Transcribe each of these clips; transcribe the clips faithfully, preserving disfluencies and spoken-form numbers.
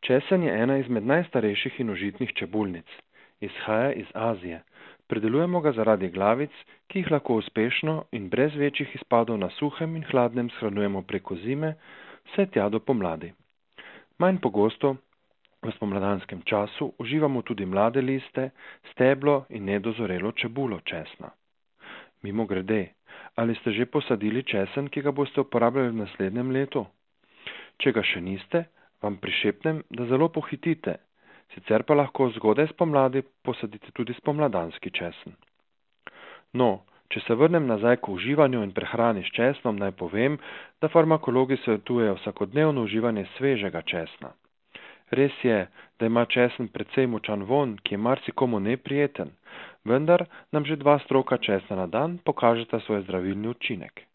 Česen je ena izmed najstarejših in užitnih čebulnic. Izhaja iz Azije. Pridelujemo ga zaradi glavic, ki jih lahko uspešno in brez večjih izpadov na suhem in hladnem shranjujemo preko zime, vse tja do pomladi. Manj pogosto, v spomladanskem času, uživamo tudi mlade liste, steblo in nedozorelo čebulo česna. Mimogrede, ali ste že posadili česen, ki ga boste uporabljali v naslednjem letu? Če ga še niste, vam prišepnem, da zelo pohitite, sicer pa lahko zgodaj spomladi posadite tudi spomladanski česen. No, če se vrnem nazaj k uživanju in prehrani s česnom, naj povem, da farmakologi svetujejo vsakodnevno uživanje svežega česna. Res je, da ima česen precej močan vonj, ki je marsikomu neprijeten, vendar nam že dva stroka česna na dan pokažeta svoj zdravilni učinek.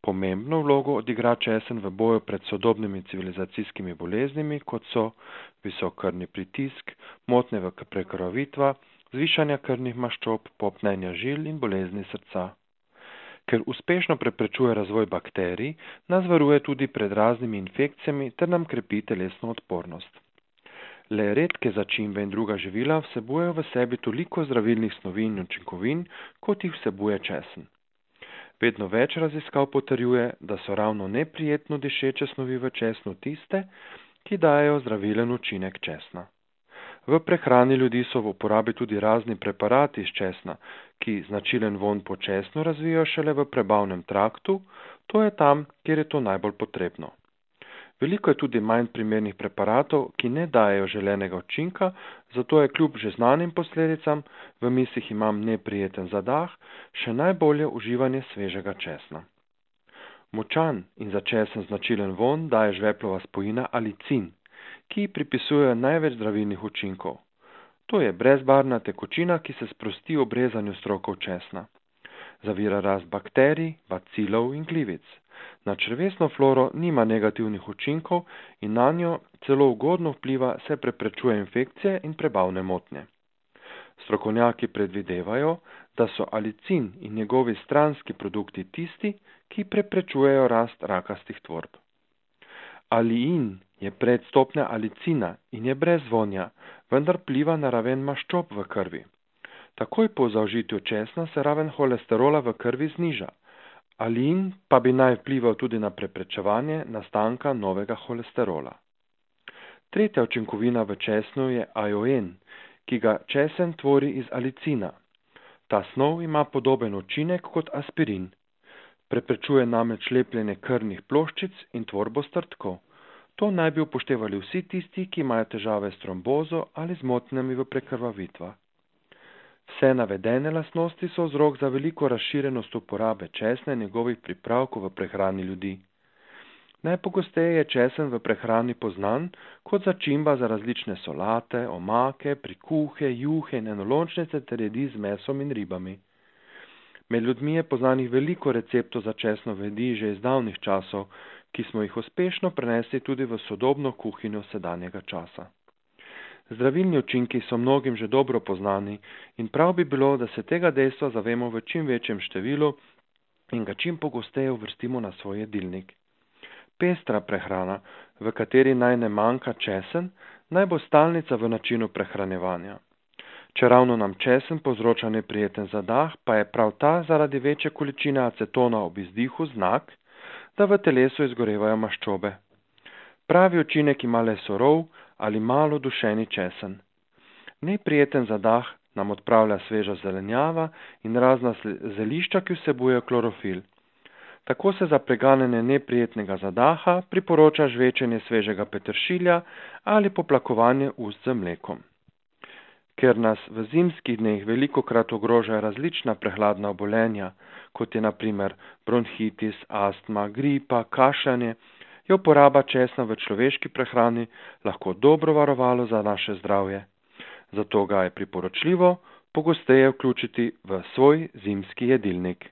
Pomembno vlogo odigra česen v boju pred sodobnimi civilizacijskimi boleznimi, kot so visok krvni pritisk, motnje v prekrvavitvah, zvišanja krvnih maščob, popnenja žil in bolezni srca. Ker uspešno preprečuje razvoj bakterij, nas varuje tudi pred raznimi infekcijami ter nam krepi telesno odpornost. Le redke začimbe in druga živila vsebujejo v sebi toliko zdravilnih snovi in učinkovin, kot jih vsebuje česen. Vedno več raziskav potrjuje, da so ravno neprijetno dišeče snovi v česnu tiste, ki dajejo zdravilen učinek česna. V prehrani ljudi so v uporabi tudi razni preparati iz česna, ki značilen vonj po česnu razvijajo šele v prebavnem traktu, to je tam, kjer je to najbolj potrebno. Veliko je tudi manj primernih preparatov, ki ne dajejo želenega učinka, zato je kljub že znanim posledicam, v mislih imam neprijeten zadah, še najbolje uživanje svežega česna. Močan in za česen značilen vonj daje žveplova spojina alicin, ki pripisujejo največ zdravilnih učinkov. To je brezbarvna tekočina, ki se sprosti ob rezanju strokov česna. Zavira rast bakterij, bacilov in glivic. Na črevesno floro nima negativnih učinkov in na njo celo ugodno vpliva, se preprečuje infekcije in prebavne motnje. Strokovnjaki predvidevajo, da so alicin in njegovi stranski produkti tisti, ki preprečujejo rast rakastih tvorb. Aliin je predstopnja alicina in je brez vonja, vendar vpliva na raven maščob v krvi. Takoj po zaužitju česna se raven holesterola v krvi zniža. Aliin pa bi naj vplival tudi na preprečevanje nastanka novega holesterola. Tretja učinkovina v česnu je ajoen, ki ga česen tvori iz alicina. Ta snov ima podoben učinek kot aspirin. Preprečuje namreč lepljenje krvnih ploščic in tvorbo strdkov. To naj bi upoštevali vsi tisti, ki imajo težave s trombozo ali z motnjami v prekrvavitvah. Vse navedene lastnosti so vzrok za veliko razširjenost uporabe česna in njegovih pripravkov v prehrani ljudi. Najpogosteje je česen v prehrani poznan kot začimba za različne solate, omake, prikuhe, juhe in enolončnice ter jedi z mesom in ribami. Med ljudmi je poznanih veliko receptov za česnove jedi že iz davnih časov, ki smo jih uspešno prenesli tudi v sodobno kuhinjo sedanjega časa. Zdravilni učinki so mnogim že dobro poznani in prav bi bilo, da se tega dejstva zavemo v čim večjem številu in ga čim pogosteje uvrstimo na svoj jedilnik. Pestra prehrana, v kateri naj ne manjka česen, naj bo stalnica v načinu prehranjevanja. Če ravno nam česen povzroča neprijeten zadah, pa je prav ta zaradi večje količine acetona ob izdihu znak, da v telesu izgorevajo maščobe. Pravi učinek ima le surov ali malo dušeni česen. Neprijeten zadah nam odpravlja sveža zelenjava in razna zelišča, ki vsebujejo klorofil. Tako se za preganjanje neprijetnega zadaha priporoča žvečenje svežega peteršilja ali poplakovanje ust z mlekom. Ker nas v zimskih dneh velikokrat ogrožajo različna prehladna obolenja, kot je na primer bronhitis, astma, gripa, kašljanje, je uporaba česna v človeški prehrani lahko dobro varovalo za naše zdravje. Zato ga je priporočljivo pogosteje vključiti v svoj zimski jedilnik.